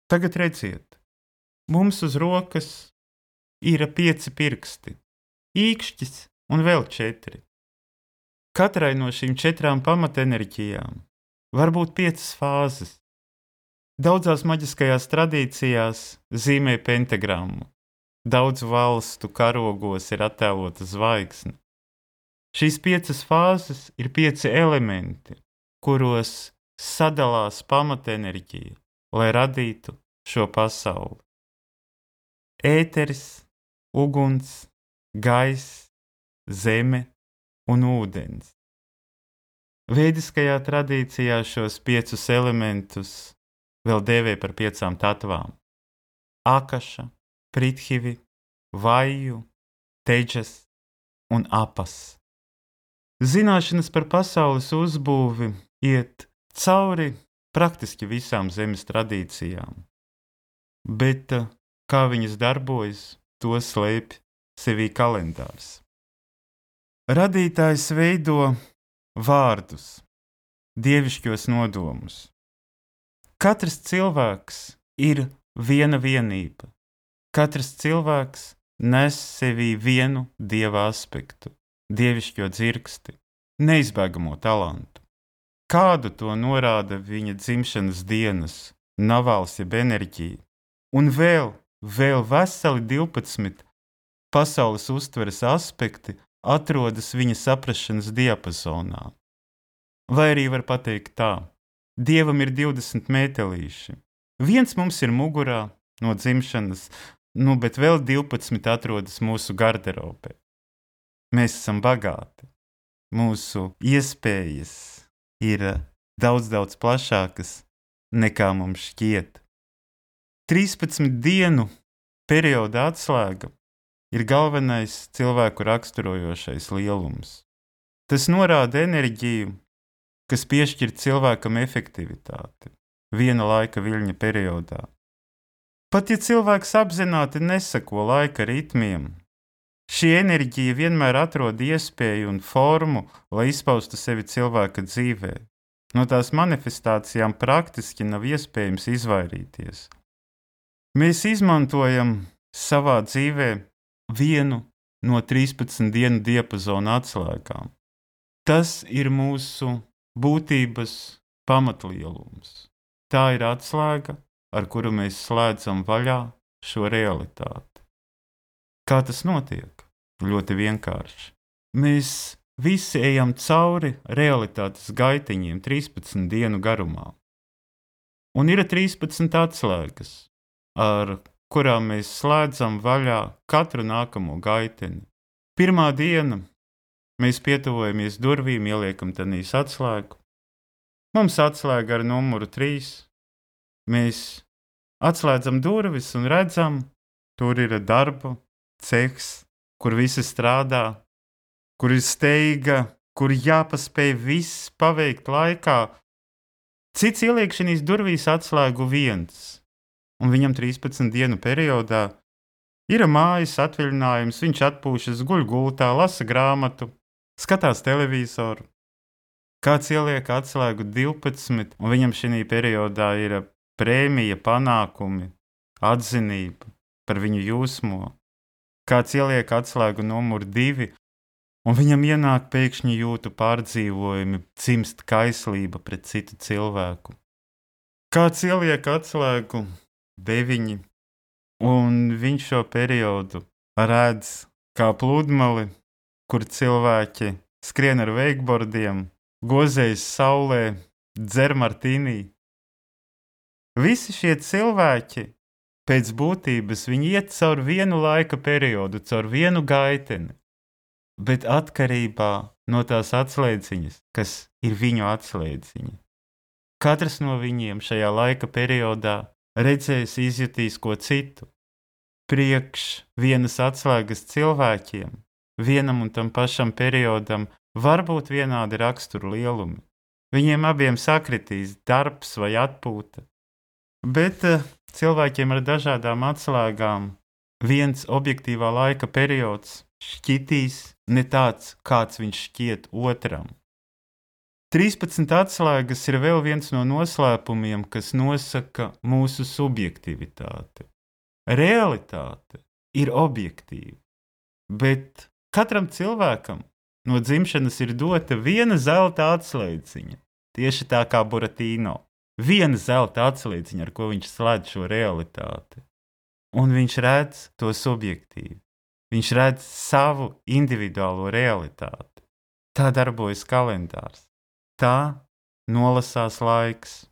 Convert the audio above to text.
Tagad redziet, mums uz rokas ir 5 pirksti, īkšķis un vēl 4. Katrai no šīm 4 pamatenerģijām var būt 5 fāzes. Daudzās maģiskajās tradīcijās zīmē pentagrammu. Daudzu valstu karogos ir attēlota zvaigzne. Šīs 5 fāzes ir 5 elementi, kuros sadalās pamatenerģija, lai radītu šo pasauli. Ēteris, uguns, gaiss, zeme un ūdens. Vēdiskajā tradīcijā šos 5 elementus vēl dēvē par 5 tatvām – Akaša, Prithivi, Vaju, Teģas un Apas. Zināšanas par pasaules uzbūvi iet cauri praktiski visām zemes tradīcijām, bet kā viņas darbojas, to slēpj sevī kalendārs. Radītājs veido vārdus, dievišķos nodomus. Katrs cilvēks ir viena vienība. Katrs cilvēks nes sevī vienu dieva aspektu, dievišķo dzirksti, neizbēgamo talantu. Kādu to norāda viņa dzimšanas dienas, navāls jeb enerģija, un vēl veseli 12 pasaules uztveres aspekti atrodas viņa saprašanas diapazonā. Vai arī var pateikt tā, Dievam ir 20 mētelīši. Viens mums ir mugurā no dzimšanas, bet vēl 12 atrodas mūsu garderobē. Mēs esam bagāti. Mūsu iespējas ir daudz plašākas nekā mums šķiet. 13 dienu perioda atslēga ir galvenais cilvēku raksturojošais lielums. Tas norāda enerģiju, kas piešķir cilvēkam efektivitāti viena laika viļņa periodā. Pat ja cilvēks apzināti neseko laika ritmiem, šī enerģija vienmēr atrod iespēju un formu, lai izpaustu sevi cilvēka dzīvē. No tās manifestācijām praktiski nav iespējams izvairīties. Mēs izmantojam savā dzīvē vienu no 13 dienu diapazona atslēgām. Tas ir mūsu būtības pamatlielums. Tā ir atslēga, ar kuru mēs slēdzam vaļā šo realitāti. Kā tas notiek? Ļoti vienkārši. Mēs visi ejam cauri realitātes gaitiņiem 13 dienu garumā. Un ir 13 atslēgas, ar kurām mēs slēdzam vaļā katru nākamo gaiteni. Pirmā diena mēs pietuvojamies durvīm, ieliekam tanīs atslēgu. Mums atslēga ar numuru 3. Mēs atslēdzam durvis un redzam, tur ir darba cehs, kur visi strādā, kur ir steiga, kur jāpaspēj viss paveikt laikā. Cits ieliek šīs durvīs atslēgu viens, un viņam 13 dienu periodā ir mājas atvaļinājums, viņš atpūšas, guļ gultā, lasa grāmatu, skatās televizoru. Kāds ieliek atslēgu 12, un viņam šī periodā ir prēmija, panākumi, atzinība par viņu jūsmo. Kāds ieliek atslēgu numuru 2, un viņam ienāk pēkšņi jūtu pārdzīvojumi, dzimst kaislība pret citu cilvēku. Kāds ieliek atslēgu 9, un viņš šo periodu redz kā pludmali, kur cilvēki skrien ar veikbordiem, gozējas saulē, dzer martīnī. Visi šie cilvēki pēc būtības viņi iet caur vienu laika periodu, caur vienu gaiteni, bet atkarībā no tās atslēdziņas, kas ir viņu atslēdziņa. Katrs no viņiem šajā laika periodā redzēs, izjutīs ko citu. Priekš vienas atslēgas cilvēkiem, vienam un tam pašam periodam var būt vienādi raksturu lielumi. Viņiem abiem sakritīs darbs vai atpūta. Bet cilvēkiem ar dažādām atslēgām viens objektīvā laika periods šķitīs ne tāds, kāds viņš šķiet otram. 13 atslēgas ir vēl viens no noslēpumiem, kas nosaka mūsu subjektivitāti. Realitāte ir objektīva, bet katram cilvēkam no dzimšanas ir dota viena zelta atslēdziņa, tieši tā kā Buratino. Viena zelta atslēdziņa, ar ko viņš slēdz šo realitāti. Un viņš redz to subjektīvi. Viņš redz savu individuālo realitāti. Tā darbojas kalendārs. Tā nolasās laiks.